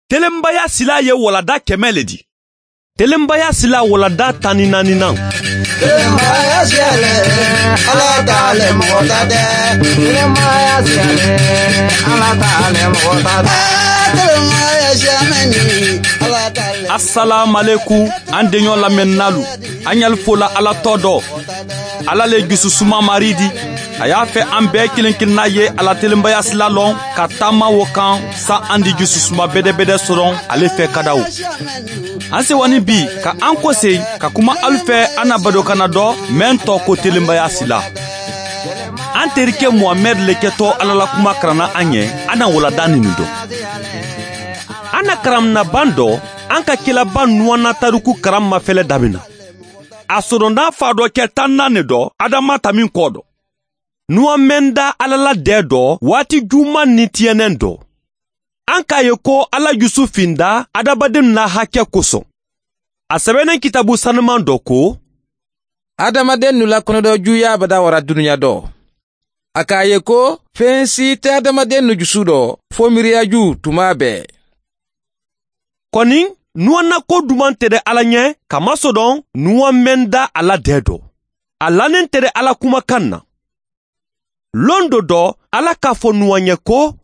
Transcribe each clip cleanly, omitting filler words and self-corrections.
Telenbaya sila ye walada 100 le di. Telenbaya sila walada 14nan. Telenbaya siyale, Ala t'ale mɔgɔ ta tɛ. Telenbaya siyale, Ala t'ale mɔgɔ ta tɛ. Telenbaya siyamɛni, Ala t'ale. Assalamu alaikum, an denɲɔ lamɛnnalu. An y'al fola Ala tɔ dɔ. Ala le jususuma mari di. A y'a fɛ an bɛɛ kelen kelenna ye Ala telenbaya sila lɔn ka taama o kan sa an di jususuma bɛdɛbɛdɛ sɔrɔ ale fɛ kadaw. An sewani bi ka an kɔse ka kuma alu fɛ an na badokana dɔ mɛn tɔ ko telenbaya sila. An terikɛ Muhamɛd le kɛtɔ Ala la kuma karanna an ɲɛ, an na walada ninu dɔn. An na karamnaban dɔ, an ka kelaba nuwana tariku karan mafɛlɛ damina. A sɔrɔnda fa dɔ kɛ tan naani dɔ, Adama ta min kɔ dɔ. Nuwa mɛnda Ala la dɛ dɔ, waati juman ni tiɲɛnɛn dɔ. An k'a ye ko Ala jusu finda adamaden na hakɛ kosɔn. A sɛbɛnnen kitabu sanuman dɔ ko, Adamaden nu la kɔnɔdɔ juya bada wara dunuya dɔ. A k'a ye ko fɛn si tɛ adamaden nu jusu dɔ fo miiriyaju tuma bɛɛ. Kɔni, nuwa na ko duman tɛ dɛ Ala ɲɛ, kamasɔrɔ nuwa mɛnda a la dɛ dɔ. A lanen tɛ dɛ Ala kumakan na. Lon dɔ dɔ, Ala k'a fɔ nuwa ɲɛ ko,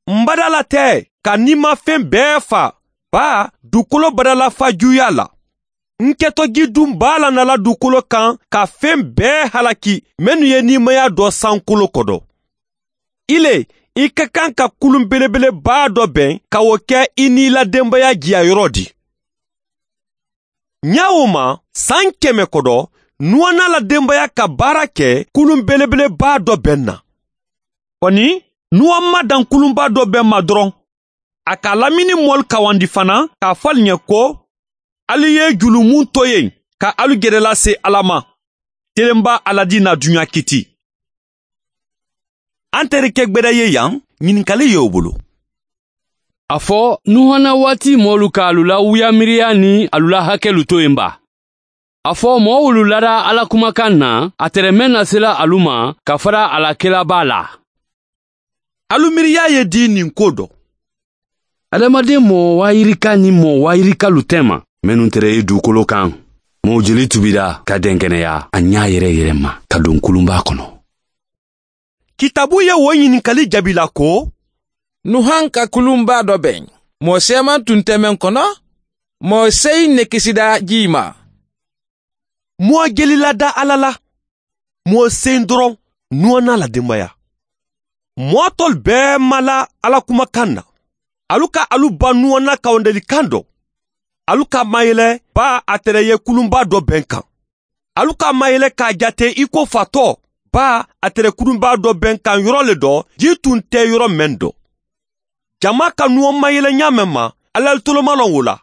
n badala tɛ ka nimafɛn bɛɛ fa, ba dugukolo badala fa juya la. N kɛtɔ jidun b'a la nala dugukolo kan ka fɛn bɛɛ halaki minnu ye nimaya dɔ sankolo kɔdɔ. Ile, i ka kan ka kulun belebeleba dɔ bɛn ka o kɛ i n'i la denbaya jiyayɔrɔ di. Ɲa o ma, san 100 kɔdɔ, nuwa n'a la denbaya ka baara kɛ kulun belebeleba dɔ bɛn na. Kɔni, nuwa ma dan kulunba dɔ bɛn ma dɔrɔn. A ka lamini mɔli kawandi fana k'a fɔ ali ɲɛ ko, alu ye julumun to yen ka alu gɛrɛ lase Ala ma. Telenba Ala di na dunya kiti. An terikɛ gbɛdɛ ye yan, ɲininkali ye o bolo. A fɔ, Nuhana waati mɔlu ka alu la wuya miiriya ni alu la hakɛlu to yen ba. A fɔ mɔgɔ wolu lada Ala kumakan na, a tɛrɛ mɛn na sela alu ma ka fara a la kelaba la. Alu miiriya ye di nin ko dɔ. Adamaden mɔgɔ wayirika ni mɔgɔ wayirikalu tɛ ma. Minnu tɛrɛ ye dugukolo kan, mɔgɔ jeli tubira ka dɛnkɛnɛya a ɲa yɛrɛ yɛrɛ ma ka don kulunba kɔnɔ. Kitabu ye o ɲininkali jaabi la ko, Nuhan ka kulunba dɔ bɛn, mɔgɔ siyaman tun tɛ mɛn kɔnɔ, mɔgɔ seyin ne kisida ji ma. Mɔgɔ jeli lada Ala la, mɔgɔ sen dɔrɔn nuwa n'a la denbaya. Mɔgɔ tɔl bɛɛ ma la Ala kumakan na. Alu ka alu ba nuwa n'a kawandelikan dɔ. Alu ka mayɛlɛ ba a tɛrɛ ye kulunba dɔ bɛn kan. Alu ka mayɛlɛ k'a jate i ko fatɔ ba a tɛrɛ kulunba dɔ bɛn kan yɔrɔ le dɔ, ji tun tɛ yɔrɔ mɛn dɔ. Jama ka nuwa mayɛlɛ ɲa mɛn ma, Ala toloma lɔn o la.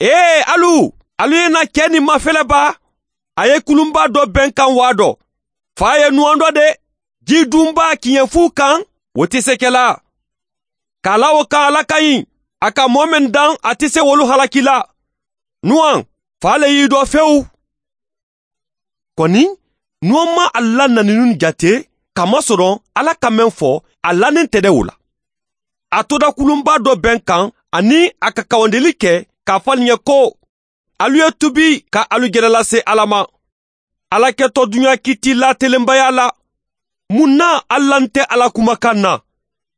Ee alu, alu ye na cɛ ni mafɛlɛ ba, a ye kulunba dɔ bɛn kan waa dɔ. Fa ye nuwan dɔ de, ji dunba kiɲɛ fu kan, o tɛ se kɛla. K'a la o kan Ala ka ɲi, a ka mɔɔ min dan a tɛ se wolu halaki la. Nuwan, fa le y'i dɔ fewu. Kɔni, nuwan ma a la naninu jate, kamasɔrɔ Ala ka mɛn fɔ, a lanen tɛ dɛ o la. A toda kulunba dɔ bɛn kan ani a ka kawandeli kɛ k'a fɔ ali ɲɛ ko, alu ye tubi ka alu gɛrɛ lase Ala ma. Ala kɛtɔ dunya kiti la telenbaya la. Mun na alu lan tɛ Ala kumakan na?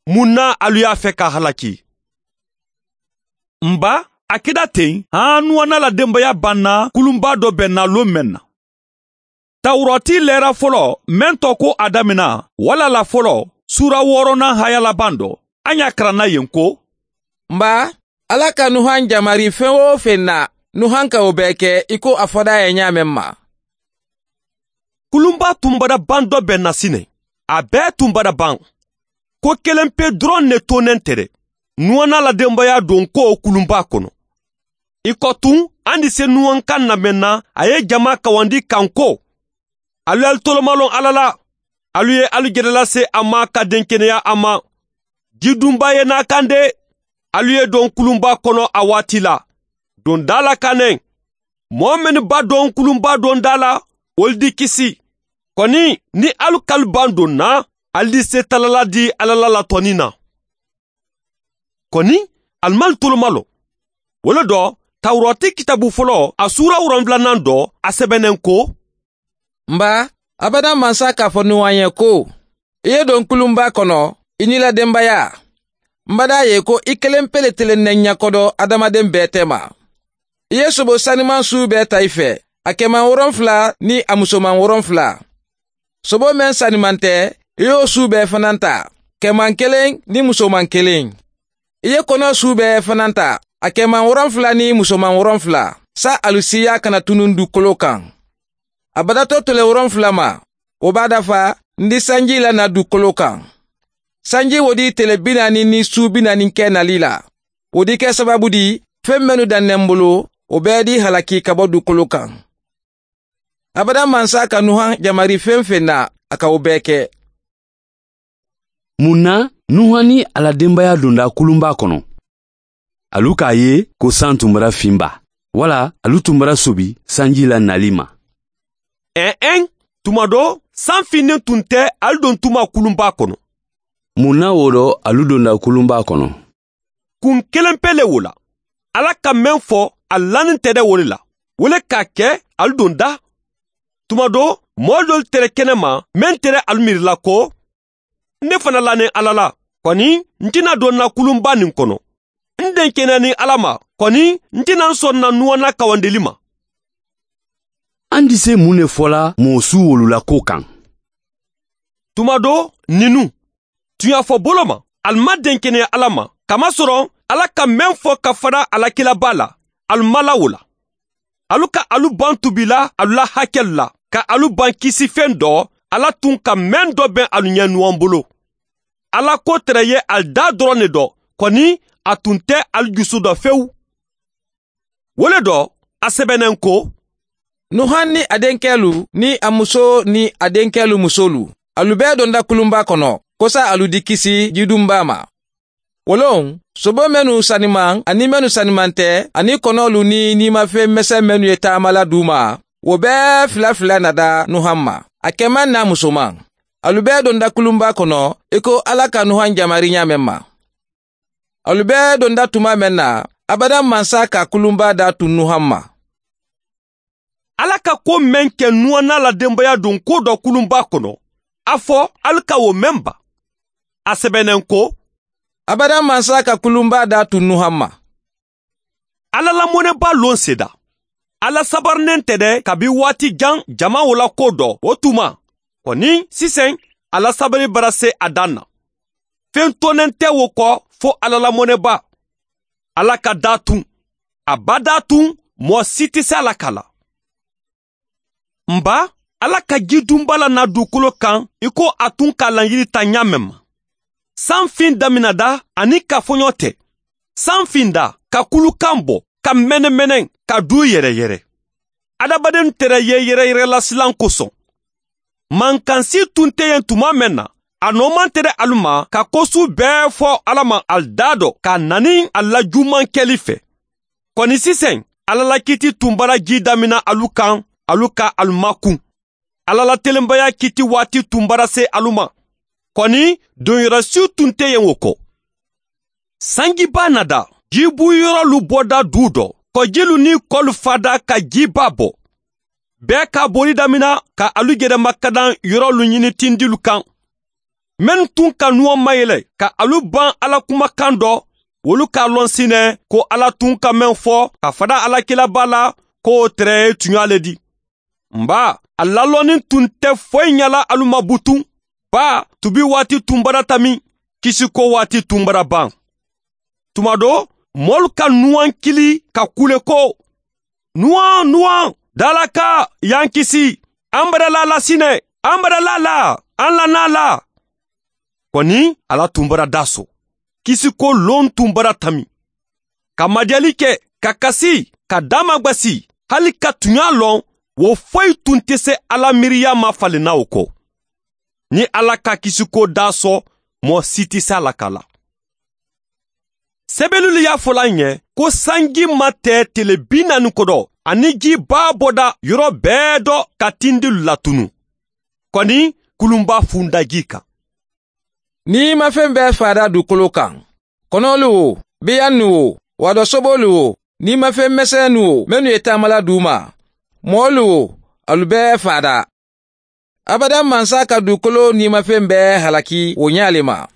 Mun na alu y'a fɛ ka halaki? Nba, a kɛra ten, an nuwa n'a la denbaya banna kulunba dɔ bɛnna lon mɛn na. Tawurati lɛra fɔlɔ, mɛn tɔ ko a damina, wala la fɔlɔ, sura wɔɔrɔnan haya laban dɔ, an y'a karanna yen ko, Nba, Ala ka Nuhan jamari fɛn o fɛn na, Nuhan ka o bɛɛ kɛ i ko a fɔda ye ɲa mɛn ma. Kulunba tun bada ban dɔ bɛn na sinɛ. A bɛɛ tun bada ban. Ko kelen pe dɔrɔn ne tonen tɛ dɛ. Nuwan n'a la denbaya don ko kulunba kɔnɔ. I kɔ tun, an di se nuwan kan lamɛn na, a ye jama kawandi kan ko, alu y'alu tolomalɔn Ala la, alu ye alu gɛrɛ lase a ma ka denkɛnɛya a ma. Jidunba ye n'a kan de, alu ye don kulunba kɔnɔ a waati la. Don da la kanɛ. Mɔgɔ minnu ba don kulunba don da la, olu di kisi. Kɔni, ni alu kalu ban don na, alu di se talala di Ala la latɔnni na. Kɔni, Alu toloma lɔ. O le dɔ Tawurati kitabu fɔlɔ a sura 7nan dɔ a sɛbɛnnen ko. Nba, abada mansa k'a fɔ Nuwan ye ko, i ye don kulunba kɔnɔ, i n'i la denbaya. N bada ye ko i kelen pele telen nɛ ɲakɔdɔ adamaden bɛɛ tɛ ma. I ye sobo saniman suu bɛɛ ta i fɛ, a kɛman 7 ni a musoman 7. Sobo mɛn saniman tɛ, i y'o suu bɛɛ fana ta, kɛman 1 ni musoman 1. I ye kɔnɔ suu bɛɛ fana ta, a kɛman 7 ni musoman 7, sa alu siya kana tunun dukolo kan. A badatɔ tole 7 ma, o b'a dafa n di sanji la na dukolo kan. Sanji wo di tele 40 ni su 40 kɛ nali la. O di kɛ sababu di, fɛn minnu dannen bolo, o bɛɛ di halaki ka bɔ dukolo kan. Abada mansa ka Nuhan jamari fɛn fɛn na, a ka o bɛɛ kɛ. Mun na Nuhan ni a la denbaya donda kulunba kɔnɔ? Alu k'a ye ko san tun bara finba, wala alu tun bara sobi sanji la nali ma. Ɛn tuma dɔ san finnen tun tɛ alu don tuma kulunba kɔnɔ. Mun na o dɔ alu donda kulunba kɔnɔ? Kun kelen pe le o la. Ala ka mɛn fɔ a lanin tɛ dɛ o le la. O le k'a kɛ alu don da. Tuma dɔ mɔgɔ dɔlu tɛrɛ kɛnɛ ma mɛn tɛrɛ alu miirila ko ne fana lanin Ala la. Kɔni n tɛna don na kulunba nin kɔnɔ. N den kɛnɛ ni Ala ma. Kɔni n tɛna n sɔn na nuwana kawandeli ma. An di se mun de fɔla mɔɔ su wolu la ko kan? Tuma dɔ ninu tun y'a fɔ bolo ma alu ma den kɛnɛya Ala ma kamasɔrɔ Ala ka mɛn fɔ ka fara Alakilaba la alu ma la o la. Alu ka alu ban tubila alu la hakɛ la ka alu ban kisi fɛn dɔ Ala tun ka mɛn dɔ bɛn alu ɲɛ nuwan bolo. Ala ko tɛrɛ ye al da dɔrɔn de dɔ kɔni a tun tɛ alu jusu dɔ fewu. O le dɔ a sɛbɛnnen ko. Nuhan ni a denkɛlu ni a muso ni a denkɛlu musolu, alu bɛɛ donda kulunba kɔnɔ, kosa alu di kisi jidunba ma. Wolon, sobo mɛnu saniman ani mɛnu saniman tɛ, ani kɔnɔlu ni nimafɛn mɛsɛn mɛnu ye taamala du ma, o bɛɛ fila fila nada Nuhan ma, a kɛman n'a musoman. Alu bɛɛ donda kulunba kɔnɔ, i ko Ala ka Nuhan jamari ɲa mɛn ma. Alu bɛɛ donda tuma mɛn na, abada mansa ka kulunba da tun Nuhan ma. Ala ka ko mɛn kɛ Nuwana la denbaya don ko dɔ kulunba kɔnɔ, a fɔ alu ka o mɛn ba. A sɛbɛnnen ko. Abada mansa ka kulunba da tun Nuhan ma. Ala lamɔnɛba lon seda. Ala sabarinen tɛ dɛ kabi waati jan jama o la ko dɔ o tuma. Kɔni sisan ala sabari bara se a dan na. Fɛn tɔnnen tɛ o kɔ fo ala lamɔnɛba. Ala ka da tun. A ba da tun mɔgɔ si tɛ se a la ka la. Nba Ala ka jidunba la na dugukolo kan i ko a tun ka layiri ta ɲa mɛn ma. San fin daminada ani ka fɔɲɔ tɛ. San fin da ka kulukan bɔ ka mɛnɛmɛnɛ ka du yɛrɛyɛrɛ. Adamaden tɛrɛ ye yɛrɛyɛrɛla silan kosɔn. Mankansi tun tɛ yen tuma mɛn na. A nɔman tɛ dɛ alu ma ka ko su bɛɛ fɔ Ala ma al da dɔ ka nani a la juman kɛli fɛ. Kɔni sisan Ala la kiti tun bara ji damina alu kan alu ka alu makun. Ala la telenbaya kiti waati tun bara se alu ma. Kɔni donyɔrɔsiw tun tɛ yen o kɔ. Sanjiba nada jibu yɔrɔlu bɔda du dɔ kɔjilu ni kɔlu fada ka jiba bɔ. Bɛɛ ka boli damina ka alu yɛrɛmakadan yɔrɔlu ɲini tindilu kan. Mɛn tun ka nuwan mayɛlɛ ka alu ban Ala kumakan dɔ olu k'a lɔn sinɛ ko Ala tun ka mɛn fɔ ka fada Alakilaba la k'o tɛrɛ ye tuɲa le di. Nba a lalɔnni tun tɛ foyi ɲala alu ma butun. Ba tubi waati tun bara tami kisiko waati tun bara ban. Tuma dɔ mɔlu ka nuwan kili ka kule ko nuwan nuwan dalaka y'an kisi an bara la la sinɛ an bara la la an la n'a la. Kɔni Ala tun bara da so. Kisiko lon tun bara tami. Ka madiyali kɛ ka kasi ka damagbasi hali ka tuɲa lɔn wo foyi tun tɛ se Ala miiriya ma falenna o kɔ. Ni Ala ka kisiko da sɔ mɔgɔ si tɛ se a la ka la. Sɛbɛnnilu y'a fɔla an ɲɛ ko sanji ma tɛ tele 40 kɔdɔ ani ji ba bɔda yɔrɔ bɛɛ dɔ ka tindilu latunu. Kɔni kulunba funda ji kan. N'i ma fɛn bɛɛ fada dugukolo kan, kɔnɔlu wo, Biyannu wo, wadɔ sobolu wo, nimafɛn mɛsɛnnu wo, minnu ye taamala d'u ma, mɔɔlu wo, alu bɛɛ fada. Abada mansa ka dugukolo nimafɛn bɛɛ halaki o ɲa le ma.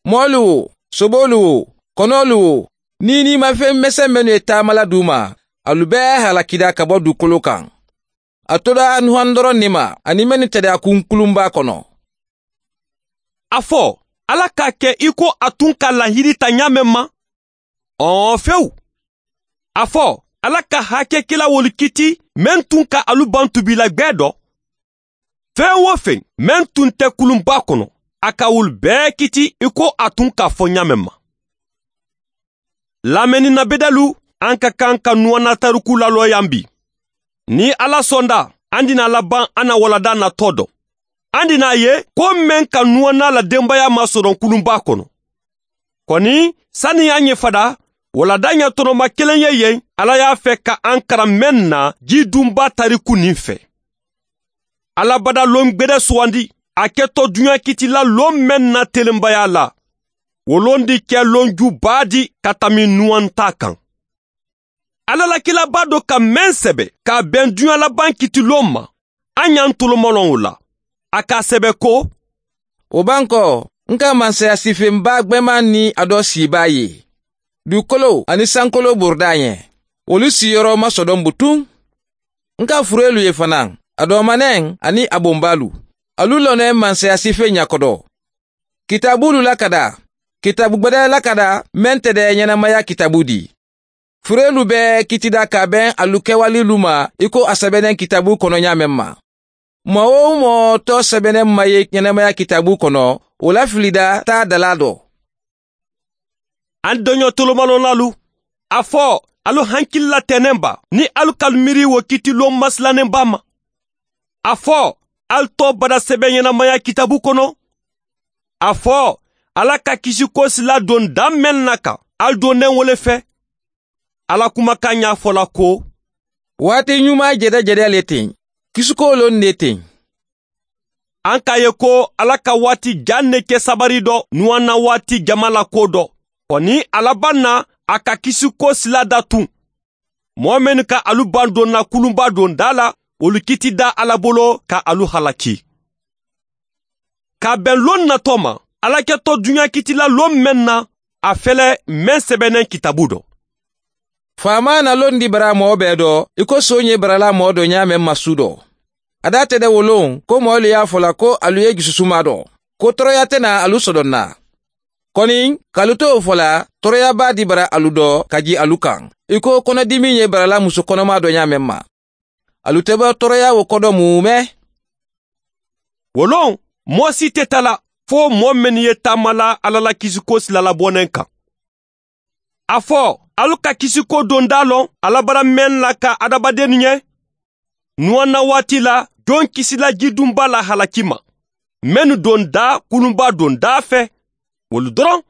Mɔɔlu wo, sobolu wo, kɔnɔlu wo, ni nimafɛn mɛsɛn minnu ye taamala d'u ma, alu bɛɛ halakida ka bɔ dugukolo kan. A tora Nuhan dɔrɔn ne ma ani minnu tɛdɛ a kun kulunba kɔnɔ. A fɔ Ala k'a kɛ i ko a tun ka lahidi ta ɲa mɛn ma? Ɔɔ fewu. A fɔ Ala ka hakɛkɛla wolu kiti mɛn tun ka alu ban tubila gbɛ dɔ. Fɛn o fɛn mɛn tun tɛ kulunba kɔnɔ, a ka wolu bɛɛ kiti i ko a tun k'a fɔ ɲa mɛn ma. Lamɛnni na bedelu, an ka kan ka nuwana tariku lalɔ yan bi. Ni Ala sɔnda, an dina laban an na walada natɔ dɔ. An dina ye ko mɛn ka nuwana la denbaya masɔrɔ kulunba kɔnɔ. Kɔni sani an ye fada, walada ɲɛ tɔnɔma kelen ye yen, Ala y'a fɛ ka an karan mɛn na jidunba tariku nin fɛ. Ala bada lon gbɛdɛ sugandi, a kɛtɔ duɲa kitila lon mɛn na telenbaya la. Wolon di kɛ lonjuba di ka tami nuwan ta kan. Ala la kilaba dɔ ka mɛn sɛbɛ k'a bɛn duɲa laban kitilon ma, an y'an tolomalɔn o la. A k'a sɛbɛ ko: O b'an kɔ, n ka mansaya sifenba gbɛman ni a dɔ siba ye. Dugukolo ani sankolo boroda ɲɛ. Olu siyɔrɔ ma sɔdɔn butun. N ka furelu ye fana, a dɔmanɛn ani a bonbalu. Alu lɔnɛ mansaya sife ɲakɔdɔ. Kitabulu lakada, kitabu gbɛdɛ lakada mɛn tɛ dɛ ɲɛnamaya kitabu di. Furelu bɛɛ kitida ka bɛn alu kɛwalelu ma i ko a sɛbɛnɛ kitabu kɔnɔ ɲa mɛn ma. Mɔɔ o mɔɔ tɔ sɛbɛnɛ ma ye ɲɛnamaya kitabu kɔnɔ, o lafilida t'a dala dɔ. An dɔɲɔ tolomalɔnnalu, a fɔ alu hankili la tɛnɛn ba ni alu ka miiri wo kitilon masilannen ba ma. A fɔ alu tɔ bada sɛbɛn ɲɛnamaya kitabu kɔnɔ. A fɔ Ala ka kisi ko sila don dan mɛn na kan, alu donnen wole fɛ. Ala kumakan y'a fɔla ko: Waati ɲuman jɛdɛjɛdɛ le ten, kisiko lon de ten. An k'a ye ko Ala ka waati jan ne kɛ sabari dɔ, nuwan na waati jama la ko dɔ. Kɔni a laban na a ka kisi ko sila datun. Mɔgɔ minnu ka alu ban donna kulunba don da la, olu kiti da Ala bolo ka alu halaki. Ka bɛn lon natɔ ma, Ala kɛtɔ duɲa kitila lon mɛn na, a fɛlɛ mɛn sɛbɛnnen kitabu dɔ. Faama na lon di bara mɔɔ bɛɛ dɔ, i ko so ye barala mɔɔ dɔ ɲa mɛn masu dɔ. A da tɛ dɛ wolon ko mɔɔlu y'a fɔla ko alu ye jususuma dɔ, ko tɔɔrɔya tɛna alu sɔdɔn na. Kɔni, k'alu t'o fɔla, tɔɔrɔyaba di bara alu dɔ ka ji alu kan. I ko kɔnɔdimi ye barala muso kɔnɔma dɔ ɲa mɛn ma. Alu tɛ bɔ tɔɔrɔya o kɔdɔ mumɛ. Wolon, mɔɔ si tɛ ta la, fo mɔɔ minnu ye taama la Ala la kisiko sila labɔnnen kan. A fɔ, alu ka kisiko don da lɔn, Ala bara mɛn la ka adamaden ɲɛ. Nuwan na waati la, jon kisila jidunba la halaki ma. Mɛnnu don da kulunba don da fɛ, wolu dɔrɔn.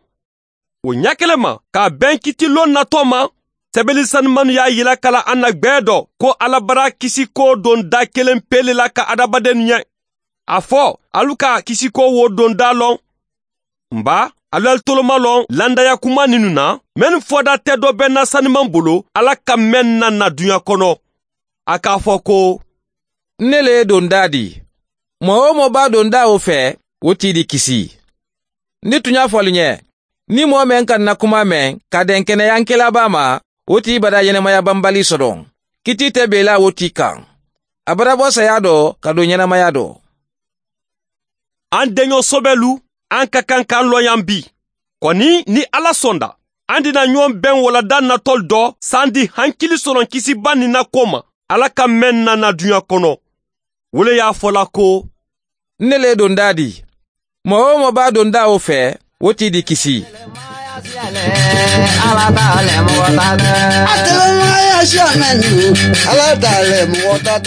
O ɲɛ kelen ma, k'a bɛn kitilon natɔ ma, sɛbɛnni sanumanu y'a yira kala an na gbɛɛ dɔ ko Ala bara kisiko don da kelen pele la ka adamaden ɲɛ. A fɔ, alu ka kisiko wo don da lɔn. Nba, alu y'alu toloma lɔn landaya kuma ninnu na, mɛnnu fɔda tɛ dɔ bɛ na sanuman bolo, Ala ka mɛn na na duɲa kɔnɔ. A k'a fɔ ko: Ne le ye don da di. Mɔɔ o mɔɔ b'a don da o fɛ, o t'i di kisi. Ni tun y'a fɔ alu ɲɛ, ni mɔɔ mɛn ka na kuma mɛn ka dɛn kɛnɛyankɛlaba ma, o t'i bada ɲɛnamaya banbali sɔrɔ. Kiti tɛ bela o t'i kan. A bara bɔ saya dɔ ka don ɲɛnamaya dɔ. An deɲɔ sɔbɛlu, an ka kan k'an lɔ yan bi. Kɔni ni Ala sɔnda, an dina ɲɔgɔn bɛn walada natɔl dɔ sandi hankili sɔrɔ kisiba nin na ko ma. Ala ka mɛn nana duɲa kɔnɔ. Wole y'a fɔla ko: Ne le don da di. Mɔɔ o mɔɔ b'a don da o fɛ, o t'i di kisi.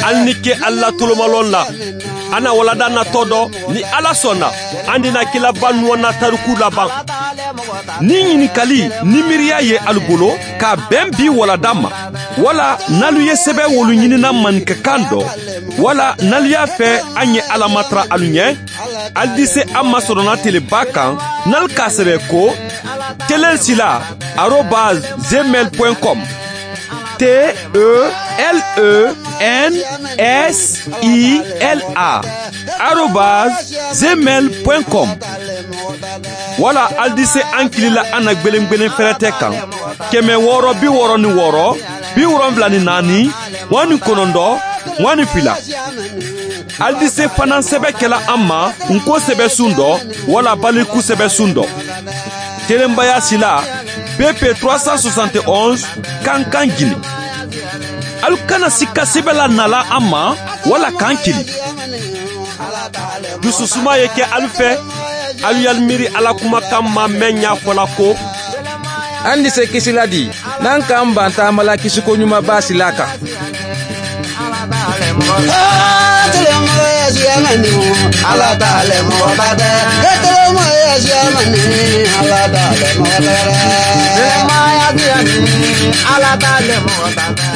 Hali ni ke Ala tolomalɔn la, an na walada natɔ dɔ ni Ala sɔnna, an dina kilaba nuwan na tariku laban. Ni ɲininkali ni miiriya ye alu bolo k'a bɛn bi walada ma, wala n'alu ye sɛbɛn wolu ɲinina maninkakan dɔ, wala n'alu y'a fɛ an ye Ala matara alu ɲɛ, alu di se an masɔrɔna teleba kan n'alu k'a sɛbɛn ko Telen Sila, arobase gmail point com. T E L E N S I L A arobase gmail point com. Wala alu di se an kilila an na gwelen fɛrɛtɛ kan 666 74 29 22. Alu di se fana sɛbɛ kɛla an ma nko sɛbɛsun dɔ wala baliku sɛbɛsun dɔ. Telenbaya sila BP 371 Kankan Guinée. Alu kana sika sɛbɛ la nala an ma wala k'an kili. Dususuma ye kɛ alu fɛ, alu y'alu miiri Ala kumakan ma mɛn y'a fɔla ko An di se kisi la di, n'an k'an ban taamala kisiko ɲumanba sila kan. Ala t'ale mɔgɔ ta tɛ. Telemaya siyamani, Ala t'ale mɔgɔ ta tɛ. Telemaya siyani, Ala t'ale mɔgɔ ta tɛ.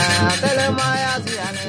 Telemaya siyani.